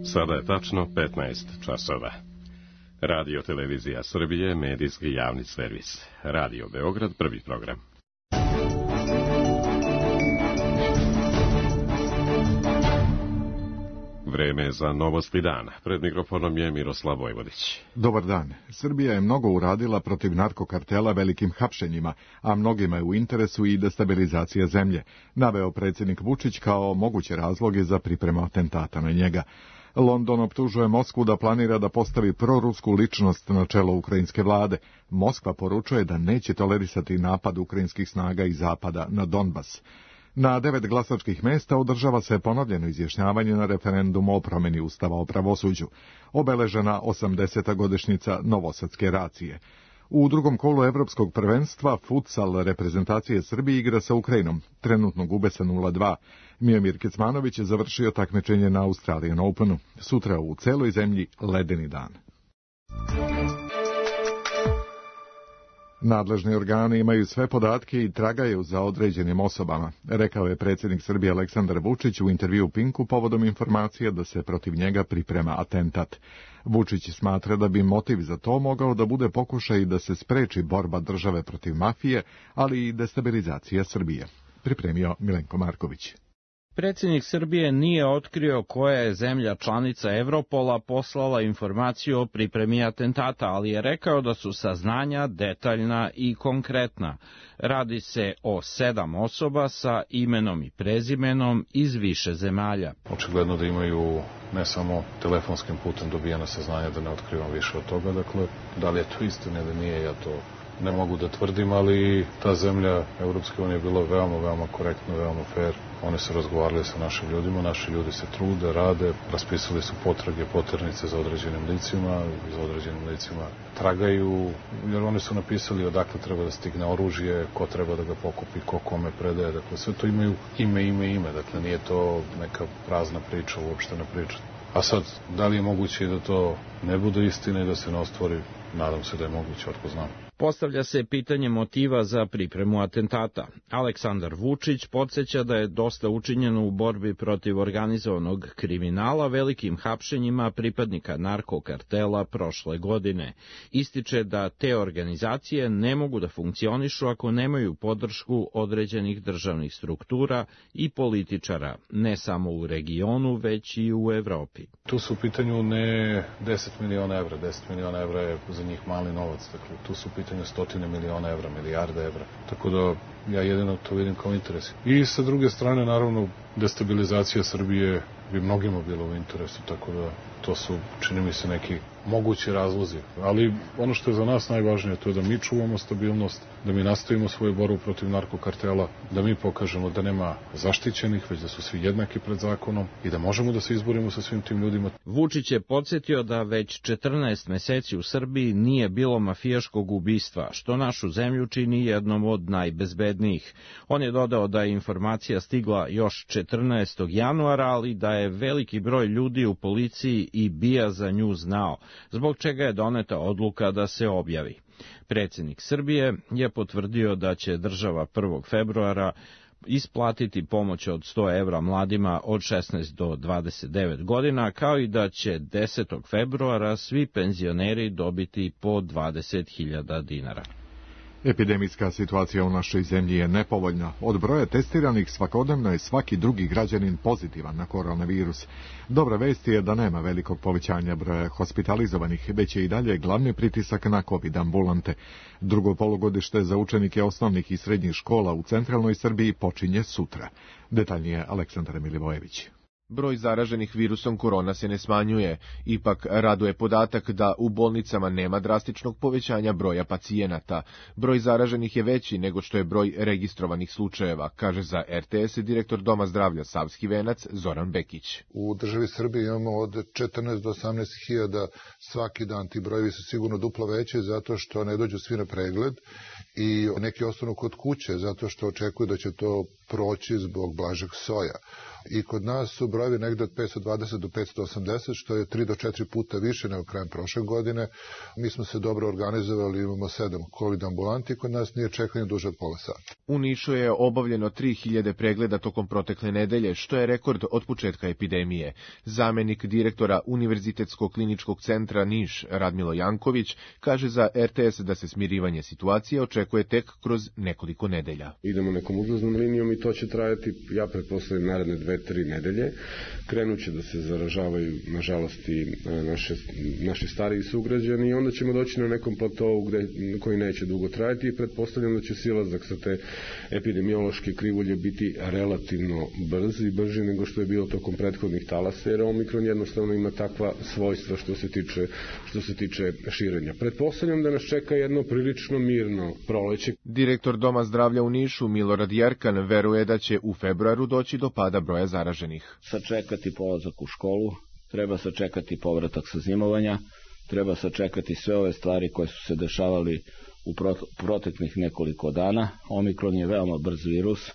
Sada je tačno 15 časova. Radio Televizija Srbije, medijski javni servis. Radio Beograd, prvi program. Vreme za novosti dana. Pred mikrofonom je Miroslav Vojvodić. Dobar dan. Srbija je mnogo uradila protiv narkokartela velikim hapšenjima, a mnogima je u interesu i destabilizacija zemlje, naveo predsjednik Vučić kao moguće razloge za pripremu atentata na njega. London optužuje Moskvu da planira da postavi prorusku ličnost na čelo ukrajinske vlade. Moskva poručuje da neće tolerisati napad ukrajinskih snaga iz zapada na Donbas. Na 9 glasačkih mesta održava se ponovljeno izjašnjavanje na referendumu o promjeni Ustava o pravosuđu, obeležena 80. godišnjica Novosadske racije. U drugom kolu Evropskog prvenstva futsal reprezentacije Srbije igra sa Ukrajinom. Trenutno gube sa 0-2. Miomir Kecmanović je završio takmičenje na Australian Openu. Sutra u celoj zemlji ledeni dan. Nadležni organi imaju sve podatke i tragaju za određenim osobama, rekao je predsjednik Srbije Aleksandar Vučić u intervju Pinku povodom informacije da se protiv njega priprema atentat. Vučić smatra da bi motiv za to mogao da bude pokušaj da se spreči borba države protiv mafije, ali i destabilizacija Srbije. Pripremio Milenko Marković. Predsjednik Srbije nije otkrio koja je zemlja članica Evropola poslala informaciju o pripremi atentata, ali je rekao da su saznanja detaljna i konkretna. Radi se o 7 osoba sa imenom i prezimenom iz više zemalja. Očigledno da imaju ne samo telefonskim putem dobijena saznanja, da ne otkrivam više od toga. Dakle, da li je to istina ili nije, ja to ne mogu da tvrdim, ali ta zemlja Evropske unije je bila veoma korektna, veoma fair. Oni su razgovarali sa našim ljudima, naši ljudi se trude, rade, raspisali su potrage, poternice za određenim licima, tragaju, jer oni su napisali odakle treba da stigne oružje, ko treba da ga pokupi, ko kome predaje, dakle sve to imaju ime, dakle nije to neka prazna priča, uopštena priča. A sad, da li je moguće da to ne bude istina i da se ne ostvari? Nadam se da je moguće, otko znam. Postavlja se pitanje motiva za pripremu atentata. Aleksandar Vučić podsjeća da je dosta učinjeno u borbi protiv organizovanog kriminala velikim hapšenjima pripadnika narkokartela prošle godine. Ističe da te organizacije ne mogu da funkcionišu ako nemaju podršku određenih državnih struktura i političara, ne samo u regionu, već i u Evropi. Tu su u pitanju ne 10 miliona evra, 10 miliona evra je za njih mali novac, dakle tu su u pitanju stotine miliona evra, milijarde evra, tako da ja jedino to vidim kao interes. I sa druge strane, naravno, destabilizacija Srbije bi mnogima bilo u interesu, tako da to su, čini mi se, neki mogući razlozi. Ali ono što je za nas najvažnije, to je da mi čuvamo stabilnost, da mi nastavimo svoju borbu protiv narkokartela, da mi pokažemo da nema zaštićenih, već da su svi jednaki pred zakonom i da možemo da se izborimo sa svim tim ljudima. Vučić je podsjetio da već 14 meseci u Srbiji nije bilo mafijaškog ubistva, što našu zemlju čini jednom od najbezbednijih. On je dodao da je informacija stigla još 14. januara, ali da je veliki broj ljudi u policiji i BIA za nju znao, zbog čega je doneta odluka da se objavi. Predsjednik Srbije je potvrdio da će država 1. februara isplatiti pomoć od 100 evra mladima od 16 do 29 godina, kao i da će 10. februara svi penzioneri dobiti po 20.000 dinara. Epidemijska situacija u našoj zemlji je nepovoljna. Od broja testiranih svakodnevno je svaki drugi građanin pozitivan na koronavirus. Dobra vest je da nema velikog povećanja broja hospitalizovanih, već je i dalje glavni pritisak na COVID ambulante. Drugo polugodište za učenike osnovnih i srednjih škola u centralnoj Srbiji počinje sutra. Detaljnije Aleksandar Milivojević. Broj zaraženih virusom korona se ne smanjuje, ipak raduje podatak da u bolnicama nema drastičnog povećanja broja pacijenata. Broj zaraženih je veći nego što je broj registrovanih slučajeva, kaže za RTS direktor Doma zdravlja Savski Venac Zoran Bekić. U državi Srbije imamo od 14 do 18 hiljada svaki dan, ti brojevi su sigurno duplo veće zato što ne dođu svi na pregled i neki ostanu kod kuće zato što očekuju da će to proći zbog blažeg soja. i kod nas su brojevi negde od 520 do 580, što je 3 do 4 puta više nego krajem prošle godine. Mi smo se dobro organizovali, imamo 7 COVID ambulanti, kod nas nije čekanje duže od pola sata. U Nišu je obavljeno 3000 pregleda tokom protekle nedelje, što je rekord od početka epidemije. Zamenik direktora Univerzitetskog kliničkog centra Niš, Radmilo Janković, kaže za RTS da se smirivanje situacije očekuje tek kroz nekoliko nedelja. Idemo nekom uzlaznom linijom i to će trajati, ja pretpostavljam, naredne 2-3 nedelje. Krenuće da se zaražavaju, nažalost, i naši stariji sugrađani i onda ćemo doći na nekom platovu koji neće dugo trajati i pretpostavljam da će silazak sa te epidemiološke krivulje biti relativno brz i brži nego što je bilo tokom prethodnih talasa, jer Omikron jednostavno ima takva svojstva što se tiče širenja. Pretpostavljam da nas čeka jedno prilično mirno proleće. Direktor Doma zdravlja u Nišu, Milorad Jerkan, veruje da će u februaru doći do pada broja zaraženih. Sačekati polazak u školu, treba sačekati povratak sa zimovanja, treba sačekati sve ove stvari koje su se dešavali u proteklih nekoliko dana. Omikron je veoma brz virus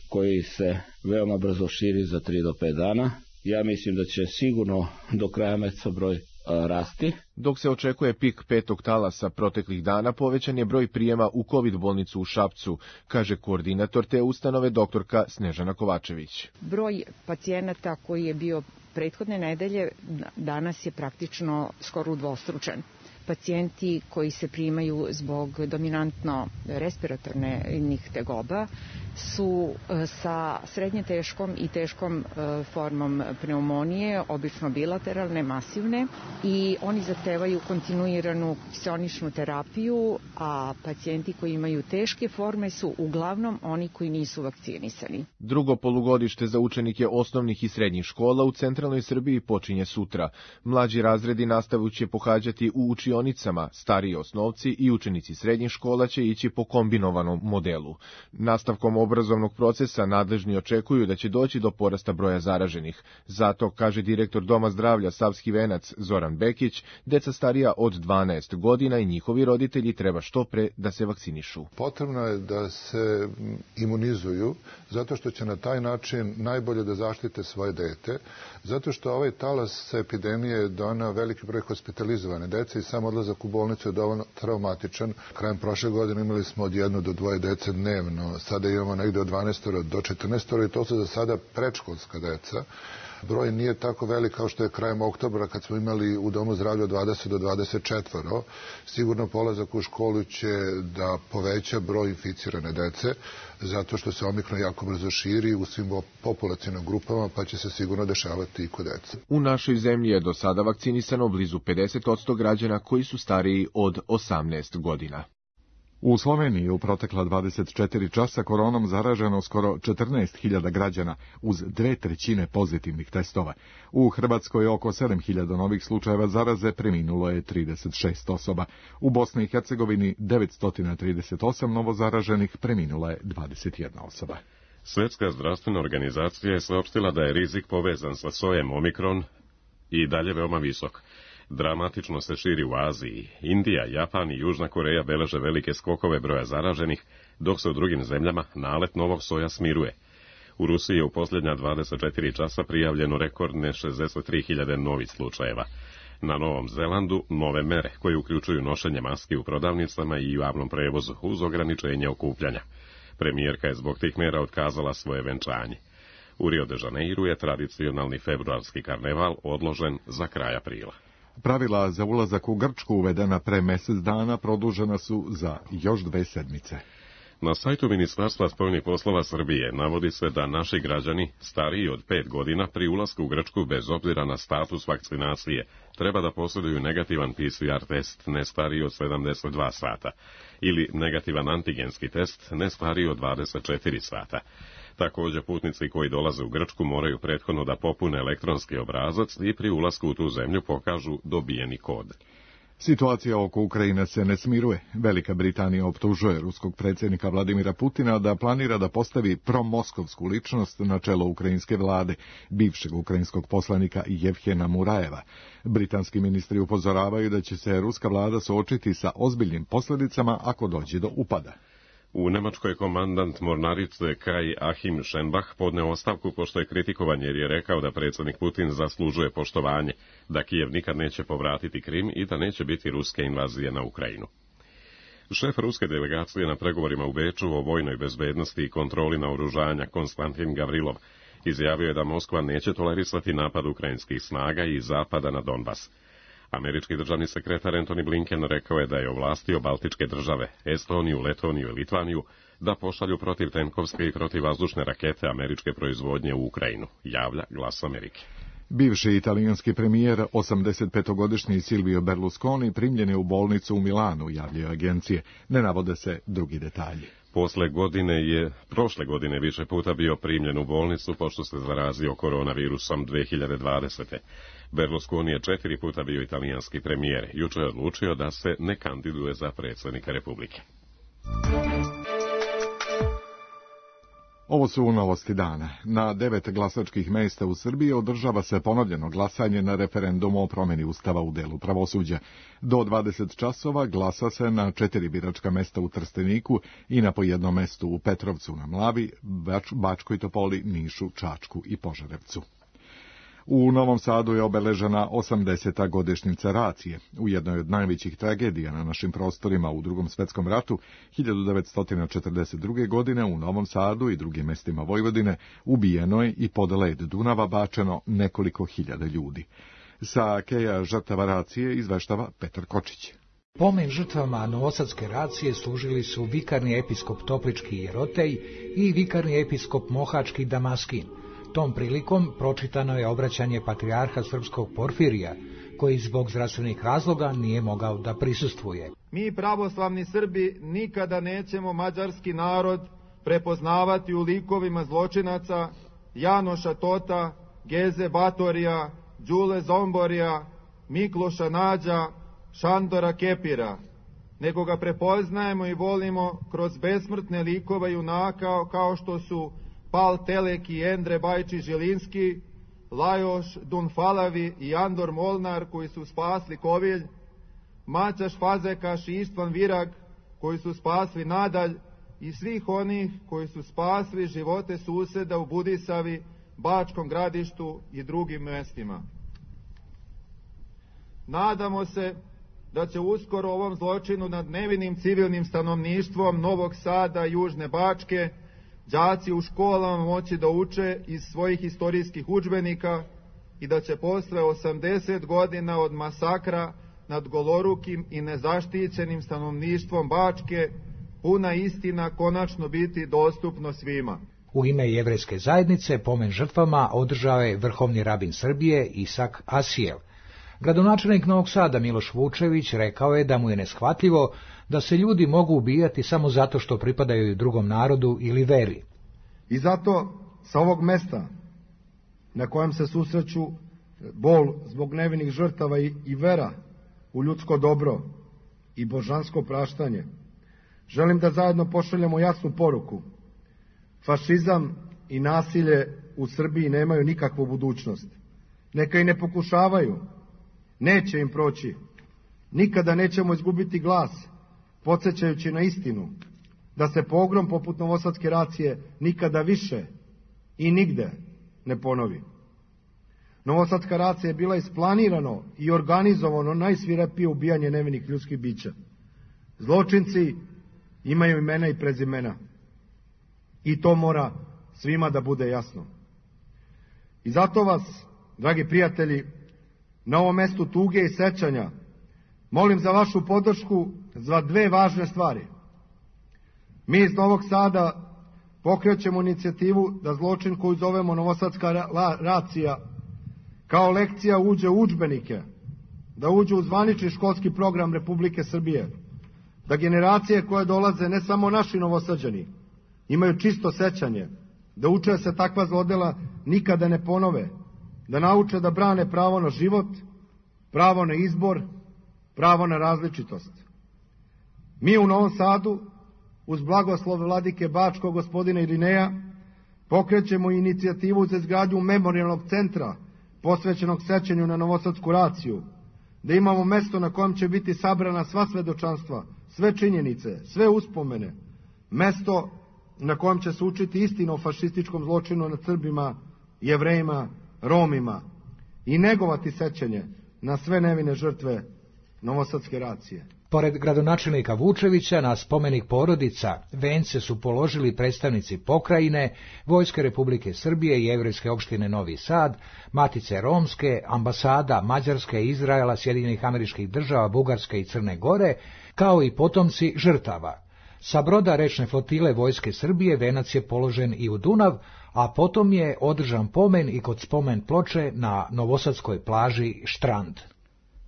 koji se veoma brzo širi za 3 do 5 dana. Ja mislim da će sigurno do kraja meseca broj rasti. Dok se očekuje pik 5. talasa proteklih dana, povećan je broj prijema u COVID bolnicu u Šapcu, kaže koordinator te ustanove doktorka Snežana Kovačević. Broj pacijenata koji je bio prethodne nedelje danas je praktično skoro udvostručen. Pacijenti koji se primaju zbog dominantno respiratornih tegoba su sa srednje teškom i teškom formom pneumonije, obično bilateralne, masivne, i oni zahtevaju kontinuiranu psioničnu terapiju, a pacijenti koji imaju teške forme su uglavnom oni koji nisu vakcinisani. Drugo polugodište za učenike osnovnih i srednjih škola u centralnoj Srbiji počinje sutra. Mlađi razredi nastavu će pohađati u učionicama, stariji osnovci i učenici srednjih škola će ići po kombinovanom modelu. Nastavkom obrazovnog procesa nadležni očekuju da će doći do porasta broja zaraženih. Zato, kaže direktor Doma zdravlja Savski Venac Zoran Bekić, deca starija od 12 godina i njihovi roditelji treba što pre da se vakcinišu. Potrebno je da se imunizuju, zato što će na taj način najbolje da zaštite svoje dete, zato što ovaj talas epidemije doneo veliki broj hospitalizovane dece i sam odlazak u bolnicu je dovoljno traumatičan. Krajem prošle godine imali smo od 1 do 2 dece dnevno, sada imamo negde od 12 do 14 i to su za sada predškolska deca. Broj nije tako velik kao što je krajem oktobra kad smo imali u Domu zdravlja 20 do 24. Sigurno polazak u školu će da poveća broj inficirane dece, zato što se Omikron jako brzo širi u svim populacionim grupama, pa će se sigurno dešavati i kod dece. U našoj zemlji je do sada vakcinisano blizu 50% građana koji su stariji od 18 godina. U Sloveniji u protekla 24 časa koronom zaraženo skoro 14.000 građana uz 2/3 pozitivnih testova. U Hrvatskoj oko 7.000 novih slučajeva zaraze, preminulo je 36 osoba. U Bosni i Hercegovini 938 novozaraženih, preminula je 21 osoba. Svjetska zdravstvena organizacija je saopštila da je rizik povezan sa sojem Omikron i dalje veoma visok. Dramatično se širi u Aziji. Indija, Japan i Južna Koreja beleže velike skokove broja zaraženih, dok se u drugim zemljama nalet novog soja smiruje. U Rusiji je u posljednja 24 časa prijavljeno rekordne 63.000 novih slučajeva. Na Novom Zelandu nove mere koje uključuju nošenje maski u prodavnicama i javnom prevozu uz ograničenje okupljanja. Premijerka je zbog tih mera otkazala svoje venčanje. U Rio de Janeiru je tradicionalni februarski karneval odložen za kraj aprila. Pravila za ulazak u Grčku uvedena pre mjesec dana produžena su za još 2 sedmice. Na sajtu Ministarstva spoljnih poslova Srbije navodi se da naši građani stariji od 5 godina pri ulasku u Grčku bez obzira na status vakcinacije treba da posjeduju negativan PCR test ne stariji od 72 sata ili negativan antigenski test ne stariji od 24 sata. Također putnici koji dolaze u Grčku moraju prethodno da popune elektronski obrazac i pri ulasku u tu zemlju pokažu dobijeni kod. Situacija oko Ukrajine se ne smiruje. Velika Britanija optužuje ruskog predsjednika Vladimira Putina da planira da postavi promoskovsku ličnost na čelo ukrajinske vlade, bivšeg ukrajinskog poslanika Jevhena Murajeva. Britanski ministri upozoravaju da će se ruska vlada suočiti sa ozbiljnim posljedicama ako dođe do upada. U Nemačkoj komandant mornarice Kai Achim Schenbach podneo ostavku pošto je kritikovan jer je rekao da predsjednik Putin zaslužuje poštovanje, da Kijev nikad neće povratiti Krim i da neće biti ruske invazije na Ukrajinu. Šef ruske delegacije na pregovorima u Beču o vojnoj bezbednosti i kontroli naoružanja Konstantin Gavrilov izjavio je da Moskva neće tolerisati napad ukrajinskih snaga i zapada na Donbas. Američki državni sekretar Antony Blinken rekao je da je ovlastio baltičke države, Estoniju, Letoniju i Litvaniju, da pošalju protivtenkovske i protivvazdušne rakete američke proizvodnje u Ukrajinu, javlja Glas Amerike. Bivši italijanski premijer, 85-godišnji Silvio Berlusconi, primljen je u bolnicu u Milanu, javljaju agencije. Ne navode se drugi detalji. Prošle godine više puta bio primljen u bolnicu pošto se zarazio koronavirusom 2020. Berlusconi je 4 puta bio italijanski premijer. Jučer je odlučio da se ne kandiduje za predsjednika Republike. Ovo su novosti dana. Na 9 glasačkih mjesta u Srbiji održava se ponovljeno glasanje na referendumu o promjeni ustava u delu pravosuđa. Do 20 časova glasa se na 4 biračka mesta u Trsteniku i na po jednom mestu u Petrovcu na Mlavi, Bačkoj Topoli, Nišu, Čačku i Požarevcu. U Novom Sadu je obeležena 80. godišnjica racije. U jednoj od najvećih tragedija na našim prostorima u Drugom svjetskom ratu, 1942. godine u Novom Sadu i drugim mestima Vojvodine ubijeno je i pod led Dunava bačeno nekoliko hiljada ljudi. Sa keja žrtava racije izveštava Petar Kočić. Pomen žrtvama Novosadske racije služili su vikarni episkop Toplički Jerotej i vikarni episkop Mohački Damaskin. Tom prilikom pročitano je obraćanje patrijarha srpskog Porfirija, koji zbog zdravstvenih razloga nije mogao da prisustvuje. Mi pravoslavni Srbi nikada nećemo mađarski narod prepoznavati u likovima zločinaca Janoša Tota, Geze Batorija, Đule Zomborija, Mikloša Nađa, Šandora Kepira, nego ga prepoznajemo i volimo kroz besmrtne likove junaka kao što su Pal Telek i Endre Bajči Žilinski, Lajoš Dunfalavi i Andor Molnar koji su spasli Kovilj, Maćaš Fazekaš i Istvan Virag koji su spasli Nadalj i svih onih koji su spasli živote suseda u Budisavi, Bačkom Gradištu i drugim mestima. Nadamo se da će uskoro ovom zločinu nad nevinim civilnim stanovništvom Novog Sada i Južne Bačke đaci u školama moći da uče iz svojih istorijskih udžbenika i da će posle 80 godina od masakra nad golorukim i nezaštićenim stanovništvom Bačke puna istina konačno biti dostupno svima. U ime jevrejske zajednice pomen žrtvama održao je vrhovni rabin Srbije Isak Asijev. Gradonačelnik Novog Sada Miloš Vučević rekao je da mu je neshvatljivo da se ljudi mogu ubijati samo zato što pripadaju drugom narodu ili veri. I zato sa ovog mesta na kojem se susreću bol zbog nevinih žrtava i vera u ljudsko dobro i božansko praštanje, želim da zajedno pošaljemo jasnu poruku. Fašizam i nasilje u Srbiji nemaju nikakvu budućnost. Neka i ne pokušavaju. Neće im proći. Nikada nećemo izgubiti glas, podsjećajući na istinu, da se pogrom poput Novosadske racije nikada više i nigde ne ponovi. Novosadska racija je bila isplanirano i organizovano najsvirepije ubijanje nevinih ljudskih bića. Zločinci imaju imena i prezimena. I to mora svima da bude jasno. I zato vas, dragi prijatelji, na ovom mestu tuge i sećanja molim za vašu podršku za dve važne stvari. Mi iz Novog Sada pokrećemo inicijativu da zločin koju zovemo Novosadska racija kao lekcija uđe u udžbenike, da uđe u zvanični školski program Republike Srbije, da generacije koje dolaze, ne samo naši Novosađani, imaju čisto sećanje, da uče se takva zlodela nikada ne ponove, da nauče da brane pravo na život, pravo na izbor, pravo na različitost. Mi u Novom Sadu, uz blagoslov vladike Bačkog gospodina Irineja, pokrećemo inicijativu za izgradnju memorijalnog centra posvećenog sećanju na Novosadsku raciju, da imamo mesto na kojem će biti sabrana sva svedočanstva, sve činjenice, sve uspomene, mesto na kojem će se učiti istina o fašističkom zločinu nad Srbima, Jevrejima, Romima i negovati sećanje na sve nevine žrtve novosadske racije. Pored gradonačelnika Vučevića, na spomenik porodica vence su položili predstavnici pokrajine, Vojske Republike Srbije i Jevrejske opštine Novi Sad, Matice Romske, ambasada Mađarske, Izraela, Sjedinjenih Američkih Država, Bugarske i Crne Gore, kao i potomci žrtava. Sa broda rečne flotile Vojske Srbije venac je položen i u Dunav, a potom je održan pomen i kod spomen ploče na novosadskoj plaži Štrand.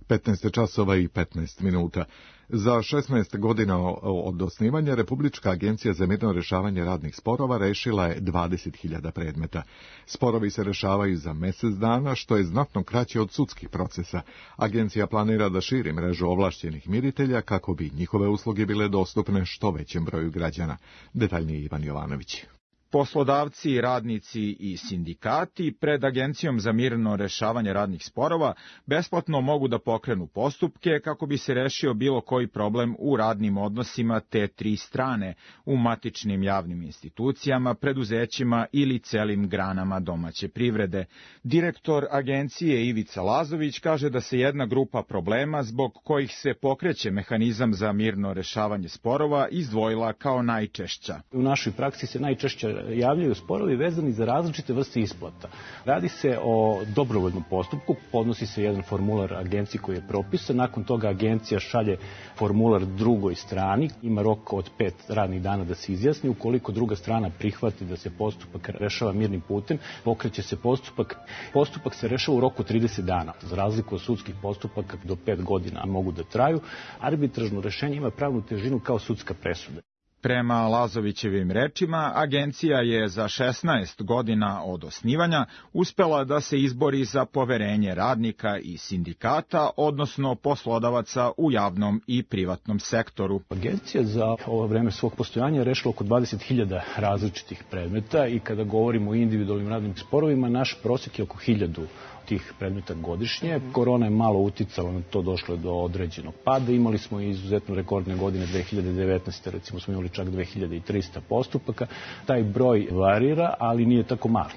15 časova i 15 minuta. Za 16 godina od osnivanja Republička agencija za mirno rešavanje radnih sporova rešila je 20.000 predmeta. Sporovi se rešavaju za mjesec dana, što je znatno kraće od sudskih procesa. Agencija planira da širi mrežu ovlašćenih miritelja kako bi njihove usluge bile dostupne što većem broju građana. Detaljnije Ivan Jovanović. Poslodavci, radnici i sindikati pred Agencijom za mirno rešavanje radnih sporova besplatno mogu da pokrenu postupke kako bi se rešio bilo koji problem u radnim odnosima te tri strane u matičnim javnim institucijama, preduzećima ili celim granama domaće privrede. Direktor Agencije Ivica Lazović kaže da se jedna grupa problema zbog kojih se pokreće mehanizam za mirno rešavanje sporova izdvojila kao najčešća. U našoj praksi se najčešće javljaju sporovi vezani za različite vrste isplata. Radi se o dobrovoljnom postupku, podnosi se jedan formular agenciji koji je propisan, nakon toga agencija šalje formular drugoj strani, ima rok od 5 radnih dana da se izjasni, ukoliko druga strana prihvati da se postupak rešava mirnim putem, pokreće se postupak. Postupak se rešava u roku 30 dana, za razliku od sudskih postupaka do 5 godina mogu da traju. Arbitražno rešenje ima pravnu težinu kao sudska presuda. Prema Lazovićevim rečima, agencija je za 16 godina od osnivanja uspela da se izbori za poverenje radnika i sindikata, odnosno poslodavaca u javnom i privatnom sektoru. Agencija za ovo vreme svog postojanja je rešila oko 20.000 različitih predmeta i kada govorimo o individualnim radnim sporovima, naš prosjek je oko 1000 tih predmeta godišnje. Korona je malo uticala na to, došlo je do određenog pada. Imali smo i izuzetno rekordne godine 2019. Recimo smo imali čak 2300 postupaka. Taj broj varira, ali nije tako mali.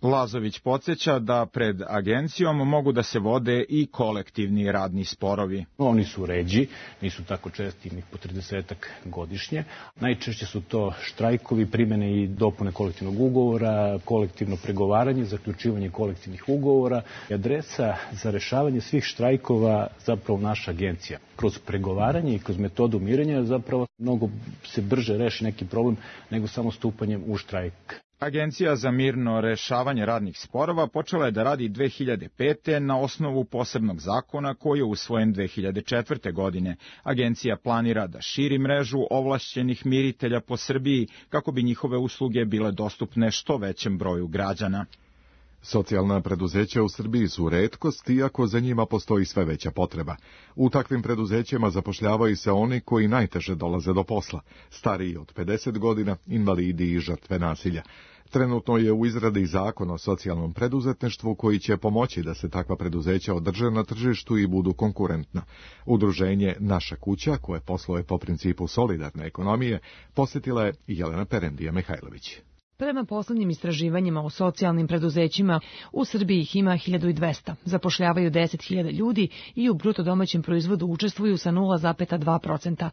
Lazović podsjeća da pred agencijom mogu da se vode i kolektivni radni sporovi. Oni su ređi, nisu tako česti, njih po 30-ak godišnje. Najčešće su to štrajkovi, primjene i dopune kolektivnog ugovora, kolektivno pregovaranje, zaključivanje kolektivnih ugovora. Adresa za rešavanje svih štrajkova zapravo naša agencija. Kroz pregovaranje i kroz metodu mirenja zapravo mnogo se brže reši neki problem nego samo stupanjem u štrajk. Agencija za mirno rešavanje radnih sporova počela je da radi 2005. na osnovu posebnog zakona koji je usvojen 2004. godine. Agencija planira da širi mrežu ovlašćenih miritelja po Srbiji kako bi njihove usluge bile dostupne što većem broju građana. Socijalna preduzeća u Srbiji su retkost, iako za njima postoji sve veća potreba. U takvim preduzećima zapošljavaju se oni koji najteže dolaze do posla, stariji od 50 godina, invalidi i žrtve nasilja. Trenutno je u izradi zakon o socijalnom preduzetništvu koji će pomoći da se takva preduzeća održe na tržištu i budu konkurentna. Udruženje Naša kuća, koje posluje po principu solidarne ekonomije, posjetila je Jelena Perendija Mihajlović. Prema poslednjim istraživanjima o socijalnim preduzećima, u Srbiji ih ima 1200, zapošljavaju 10.000 ljudi i u bruto domaćem proizvodu učestvuju sa 0,2%.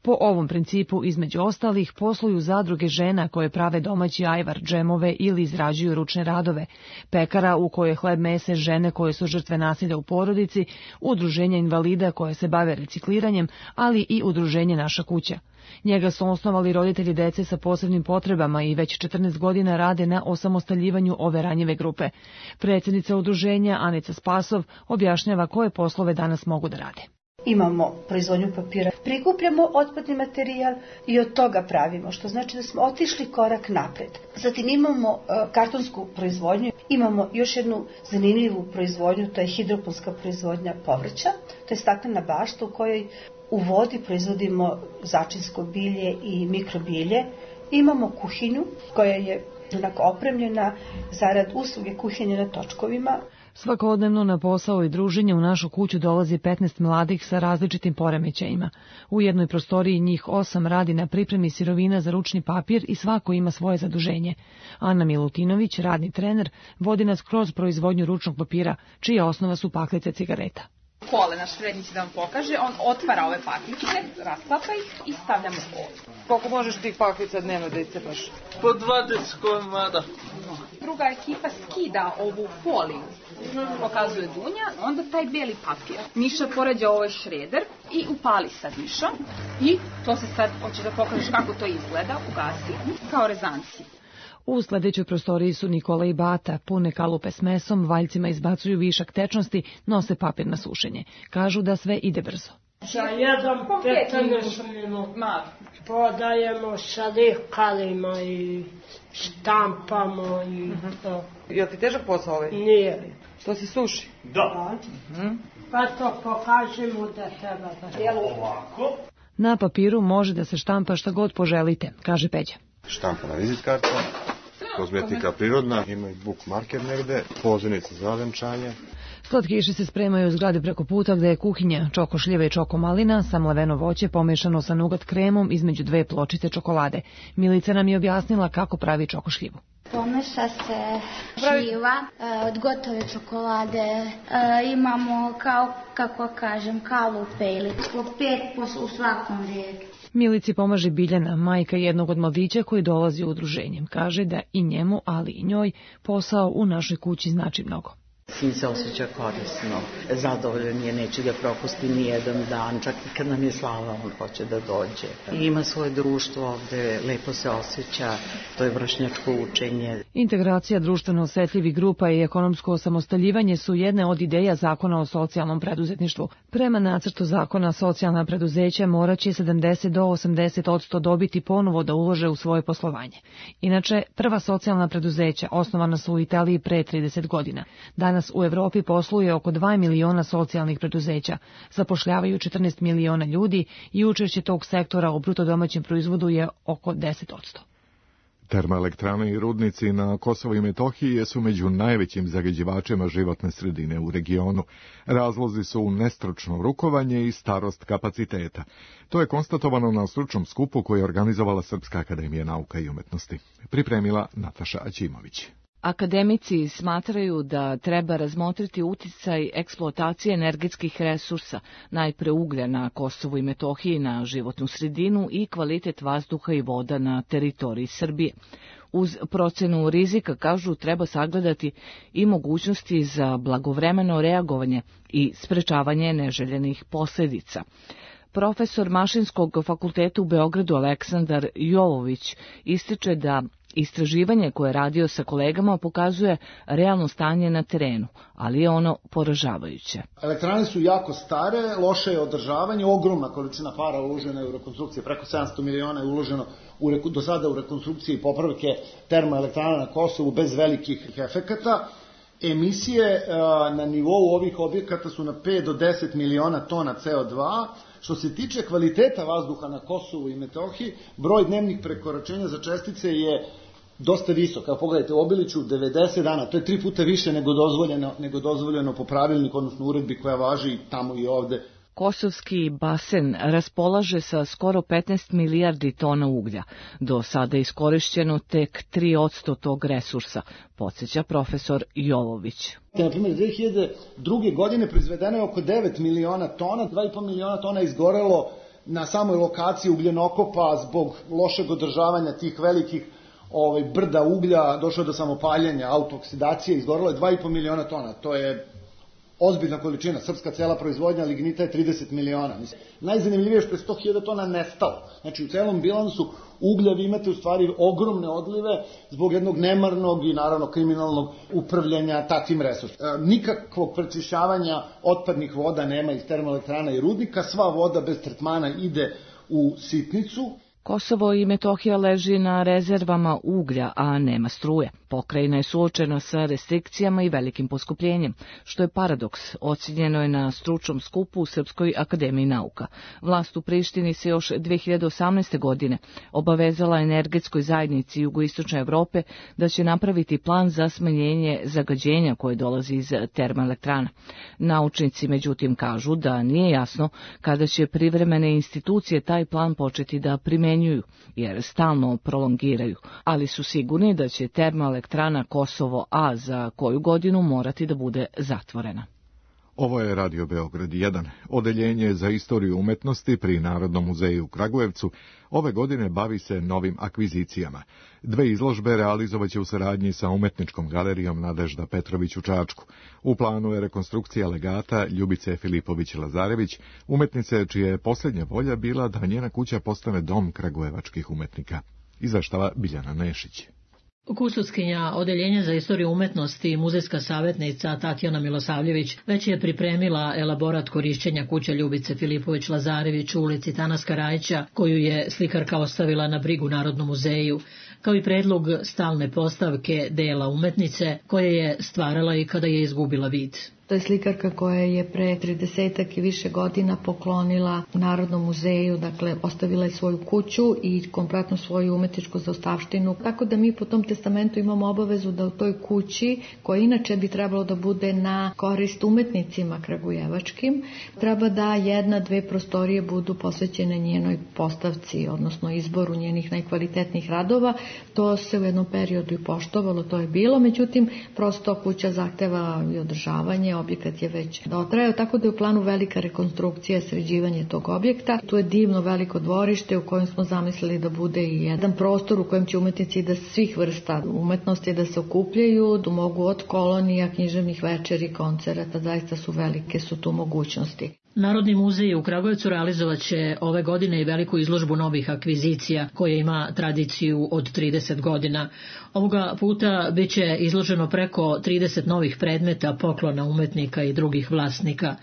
Po ovom principu, između ostalih, posluju zadruge žena koje prave domaći ajvar, džemove ili izrađuju ručne radove, pekara u kojoj hleb mese žene koje su žrtve nasilja u porodici, udruženja invalida koje se bave recikliranjem, ali i udruženje Naša kuća. Njega su osnovali roditelji dece sa posebnim potrebama i već 14 godina rade na osamostaljivanju ove ranjive grupe. Predsjednica udruženja Anica Spasov objašnjava koje poslove danas mogu da rade. Imamo proizvodnju papira, prikupljamo otpadni materijal i od toga pravimo, što znači da smo otišli korak napred. Zatim imamo kartonsku proizvodnju, imamo još jednu zanimljivu proizvodnju, to je hidroponska proizvodnja povrća, to je staklena bašta u kojoj u vodi proizvodimo začinsko bilje i mikrobilje. Imamo kuhinju koja je onako opremljena zarad usluge kuhinje na točkovima. Svakodnevno na posao i druženje u našu kuću dolazi 15 mladih sa različitim poremećajima. U jednoj prostoriji njih 8 radi na pripremi sirovina za ručni papir i svako ima svoje zaduženje. Ana Milutinović, radni trener, vodi nas kroz proizvodnju ručnog papira, čija osnova su paklice cigareta. Kole, naš srednji će da vam pokaže, on otvara ove paklice, rasklapa ih i stavljamo u kolu. Koliko možeš tih paklica dnevno da iscepaš? Po 20 komada. Druga ekipa skida ovu foliju, pokazuje Dunja, onda taj beli papir. Miša poređa ovaj šreder i upali sad Mišo. I to se sad, hoćeš da pokažeš kako to izgleda, ugasi, kao rezanci. U sledećoj prostoriji su Nikola i Bata, pune kalupe s mesom, valjcima izbacuju višak tečnosti, nose papir na sušenje. Kažu da sve ide brzo. Za 1-15 minuta podajemo sa likalima i štampamo i to. Jel ti težak posao ovaj? Nije. To se suši? Da. Pa to pokažemo da treba da ovako. Na papiru može da se štampa šta god poželite, kaže Peđa. Štampana vizit karta, kozmetika prirodna, ima i bookmarker negde, pozivnica za venčanje. Slatkiši se spremaju u zgradi preko puta gde je kuhinja, čoko šljive i čoko malina, samlaveno voće pomešano sa nugat kremom između 2 pločice čokolade. Milica nam je objasnila kako pravi čoko šljivu. Pomeša se šljiva od gotove čokolade, imamo kao, kako kažem, kalupe ili 5 u svakom redu. Milici pomaže Biljana, majka jednog od mladića koji dolazi u udruženje. Kaže da i njemu, ali i njoj, posao u našoj kući znači mnogo. Sin se osjeća korisno, zadovoljan je, neće da propusti ni jedan dan, čak i kad nam je slava, on hoće da dođe. I ima svoje društvo ovde, lepo se osjeća, to je vršnjačko učenje. Integracija društveno osetljivih grupa i ekonomsko osamostaljivanje su jedne od ideja zakona o socijalnom preduzetništvu. Prema nacrtu zakona, socijalna preduzeća moraće 70 do 80% dobiti ponovo da ulože u svoje poslovanje. Inače, prva socijalna preduzeća osnovana su u Italiji pre 30 godina. Danas u Evropi posluje oko 2 miliona socijalnih preduzeća, zapošljavaju 14 miliona ljudi i učešće tog sektora u bruto domaćem proizvodu je oko 10%. Termoelektrane i rudnici na Kosovu i Metohiji su među najvećim zagađivačima životne sredine u regionu. Razlozi su nestručno rukovanje i starost kapaciteta. To je konstatovano na stručnom skupu koji je organizovala Srpska akademija nauka i umetnosti. Pripremila Nataša Aćimović. Akademici smatraju da treba razmotriti uticaj eksploatacije energetskih resursa, najpre uglja na Kosovu i Metohiji na životnu sredinu i kvalitet vazduha i voda na teritoriji Srbije. Uz procenu rizika, kažu, treba sagledati i mogućnosti za blagovremeno reagovanje i sprečavanje neželjenih posljedica. Profesor Mašinskog fakulteta u Beogradu Aleksandar Jovović ističe da istraživanje koje je radio sa kolegama pokazuje realno stanje na terenu, ali je ono poražavajuće. Elektrane su jako stare, loše je održavanje, ogromna količina para uložena je u rekonstrukcije, preko 700 miliona je uloženo do sada u rekonstrukcije i popravke termoelektrana na Kosovu bez velikih efekata. Emisije na nivou ovih objekata su na 5 do 10 miliona tona CO2. Što se tiče kvaliteta vazduha na Kosovu i Metohiji, broj dnevnih prekoračenja za čestice je dosta visok. Kao pogledajte, u Obiliću 90 dana, to je 3 puta više nego dozvoljeno po pravilniku, odnosno uredbi koja važi tamo i ovde. Kosovski basen raspolaže sa skoro 15 milijardi tona uglja. Do sada je iskorišćeno tek 3% tog resursa, podsjeća profesor Jovović. Na primjer, 2002. godine proizvedeno je oko 9 miliona tona, 2,5 miliona tona izgorelo na samoj lokaciji ugljenokopa zbog lošeg održavanja tih velikih brda uglja, došlo je do samopaljenja, autooksidacije, izgorelo je 2,5 miliona tona, to je ozbiljna količina. Srpska cela proizvodnja lignita je 30 miliona. Najzanimljivije je što je 100.000 tona nestalo. Znači u celom bilansu uglja vi imate u stvari ogromne odlive zbog jednog nemarnog i naravno kriminalnog upravljanja takvim resursima. Nikakvog prečišćavanja otpadnih voda nema iz termoelektrana i rudnika, sva voda bez tretmana ide u sitnicu. Kosovo i Metohija leži na rezervama uglja, a nema struje. Pokrajina je suočena sa restrikcijama i velikim poskupljenjem, što je paradoks, ocjenjeno je na stručnom skupu u Srpskoj akademiji nauka. Vlast u Prištini se još 2018. godine obavezala energetskoj zajednici jugoistočne Evrope da će napraviti plan za smanjenje zagađenja koje dolazi iz termoelektrana. Naučnici međutim kažu da nije jasno kada će privremene institucije taj plan početi da primenjuju, jer stalno prolongiraju, ali su sigurni da će termoelektrana Kosovo A za koju godinu morati da bude zatvorena. Ovo je Radio Beograd 1. Odeljenje za istoriju umetnosti pri Narodnom muzeju u Kragujevcu ove godine bavi se novim akvizicijama. 2 izložbe realizovaće u saradnji sa Umetničkom galerijom Nadežda Petrović u Čačku. U planu je rekonstrukcija legata Ljubice Filipović-Lazarević, umetnice čija je posljednja volja bila da njena kuća postane dom kragujevačkih umetnika. Izveštava Biljana Nešić. Kustovskinja Odeljenja za istoriju umetnosti i muzejska savjetnica Tatjana Milosavljević već je pripremila elaborat korišćenja kuće Ljubice Filipović-Lazarević u ulici Tanaska Rajića, koju je slikarka ostavila na brigu Narodnom muzeju, kao i predlog stalne postavke dela umetnice koje je stvarala i kada je izgubila vid. To je slikarka koja je pre 30 i više godina poklonila Narodnom muzeju, dakle ostavila je svoju kuću i kompletno svoju umetničku zaostavštinu. Tako da mi po tom testamentu imamo obavezu da u toj kući, koja inače bi trebalo da bude na korist umetnicima kragujevačkim, treba da 1-2 prostorije budu posvećene njenoj postavci, odnosno izboru njenih najkvalitetnijih radova. To se u jednom periodu i poštovalo, to je bilo, međutim prosto kuća zahteva i održavanje, objekat je već dotrajao, tako da je u planu velika rekonstrukcija, sređivanje tog objekta. Tu je divno veliko dvorište u kojem smo zamislili da bude i jedan prostor u kojem će umetnici da svih vrsta umetnosti da se okupljaju, da mogu od kolonija, književnih večeri, koncerata, zaista su velike su tu mogućnosti. Narodni muzej u Kragujevcu realizovat će ove godine i veliku izložbu novih akvizicija koja ima tradiciju od 30 godina. Ovoga puta bit će izloženo preko 30 novih predmeta, poklona umetnika i drugih vlasnika.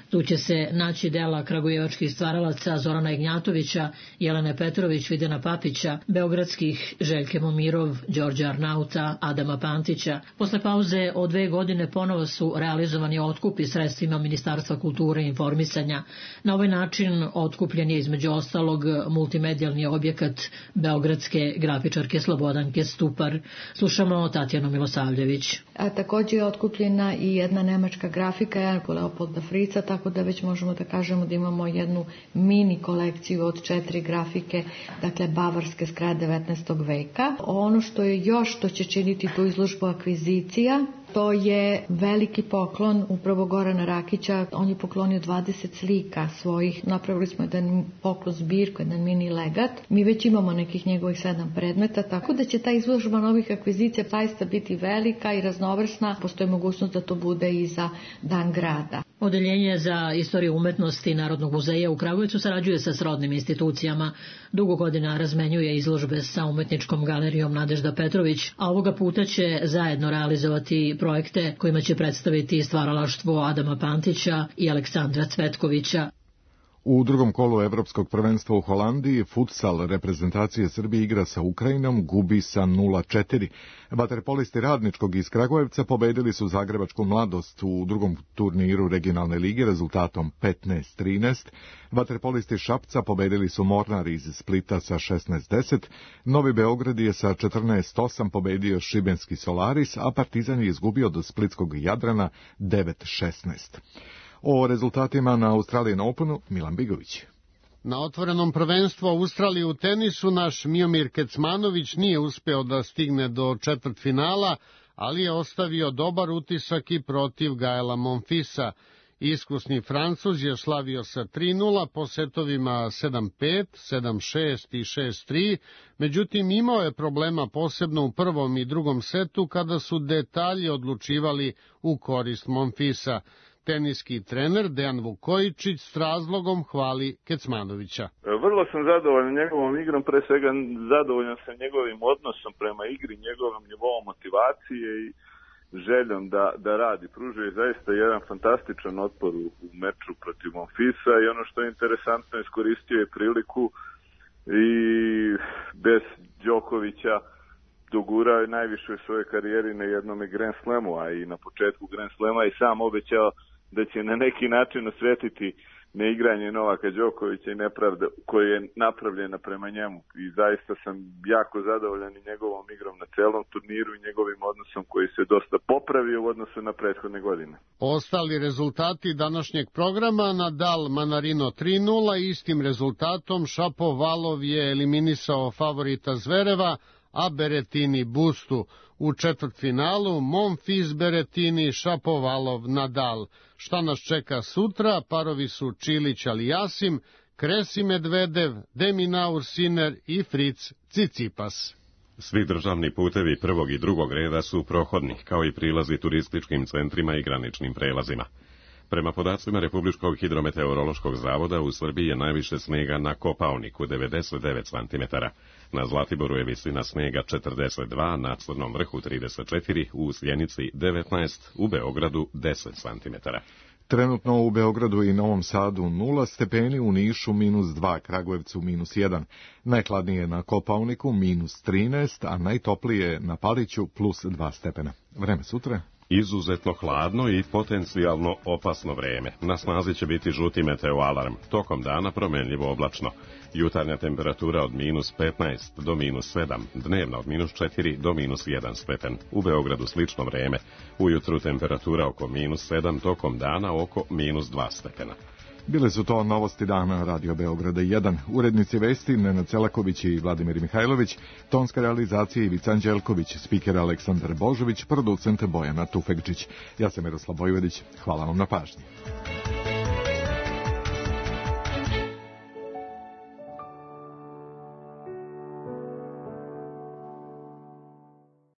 Tu će se naći dela kragujevačkih stvaralaca Zorana Ignjatovića, Jelene Petrović, Videna Papića, beogradskih Željke Momirov, Đorđa Arnauta, Adama Pantića. Posle pauze od 2 godine ponovo su realizovani otkupi sredstvima Ministarstva kulture i informisanja. Na ovaj način otkupljen je između ostalog multimedijalni objekat beogradske grafičarke Slobodanke Stupar. Slušamo Tatjanu Milosavljević. Također je otkupljena i jedna nemačka grafika Leopolda Frica, tako da već možemo da kažemo da imamo jednu mini kolekciju od 4 grafike, dakle bavarske s kraja 19. veka. Ono što je još što će činiti tu izložbu akvizicija, to je veliki poklon upravo Gorana Rakića. On je poklonio 20 slika svojih. Napravili smo jedan poklon zbirku, jedan mini legat. Mi već imamo nekih njegovih 7 predmeta, tako da će ta izložba novih akvizicija zaista biti velika i raznovrsna. Postoji mogućnost da to bude i za Dan grada. Odeljenje za istoriju umetnosti Narodnog muzeja u Kragujevcu sarađuje sa srodnim institucijama. Dugo godina razmenjuje izložbe sa Umetničkom galerijom Nadežda Petrović, a ovoga puta će zajedno realizovati projekte kojima će predstaviti stvaralaštvo Adama Pantića i Aleksandra Cvetkovića. U drugom kolu Evropskog prvenstva u Holandiji futsal reprezentacije Srbije igra sa Ukrajinom, gubi sa 0-4. Vaterpolisti Radničkog iz Kragujevca pobedili su Zagrebačku Mladost u drugom turniru regionalne lige rezultatom 15-13. Vaterpolisti Šapca pobedili su Mornar iz Splita sa 16-10. Novi Beograd je sa 14-8 pobedio Šibenski Solaris, a Partizan je izgubio do Splitskog Jadrana 9-16. O rezultatima na Australian Openu Milan Bigović. Na otvorenom prvenstvu Australije u tenisu naš Miomir Kecmanović nije uspeo da stigne do četvrtfinala, ali je ostavio dobar utisak i protiv Gaela Monfisa. Iskusni Francuz je slavio sa 3-0 po setovima 7-5, 7-6 i 6-3, međutim imao je problema posebno u prvom i drugom setu kada su detalji odlučivali u korist Monfisa. Teniski trener Dejan Vukojičić s razlogom hvali Kecmanovića. Vrlo sam zadovoljan njegovom igrom, pre svega zadovoljan sam njegovim odnosom prema igri, njegovim nivoom motivacije i željom da radi. Pružio je zaista jedan fantastičan otpor u meču protiv Monfisa i ono što je interesantno, iskoristio je priliku i bez Đokovića dogurao je najviše u svojoj karijeri na jednom Grand Slamu, a i na početku Grand Slama i sam obećao da će na neki način osvetiti neigranje Novaka Đokovića i nepravda koja je napravljena prema njemu. I zaista sam jako zadovoljan i njegovom igrom na celom turniru i njegovim odnosom koji se dosta popravio u odnosu na prethodne godine. Ostali rezultati današnjeg programa: Nadal Manarino 3-0, istim rezultatom Šapovalov je eliminisao favorita Zvereva, a Berettini Bustu. U četvrtfinalu Monfils Berettini, Šapovalov Nadal. Šta nas čeka sutra? Parovi su Čilić Aliasim, Kresi Medvedev, Deminaur Sinner i Fritz Cicipas. Svi državni putevi prvog i drugog reda su prohodni, kao i prilazi turističkim centrima i graničnim prelazima. Prema podacima Republičkog hidrometeorološkog zavoda, u Srbiji je najviše snega na Kopaoniku 99 cm. Na Zlatiboru je visina snega 42, na Crnom vrhu 34, u Sjenici 19, u Beogradu 10 cm. Trenutno u Beogradu i Novom Sadu 0 stepeni, u Nišu -2, Kragujevcu -1. Najhladnije na Kopaoniku -13, a najtoplije na Paliću +2 stepena. Vreme sutra? Izuzetno hladno i potencijalno opasno vreme. Na snazi će biti žuti meteoalarm. Tokom dana promenljivo oblačno. Jutarnja temperatura od -15 do -7, dnevna od -4 do -1 stepen. U Beogradu slično vreme. Ujutru temperatura oko -7, tokom dana oko -2 stepena. Bile su to novosti dana Radio Beograda 1. Urednici vesti Nenad Celaković i Vladimir Mihajlović, tonska realizacija Ivica Anđelković, spiker Aleksandar Božović, producent Bojana Tufekčić. Ja sam Miroslav Vojvodić. Hvala vam na pažnji.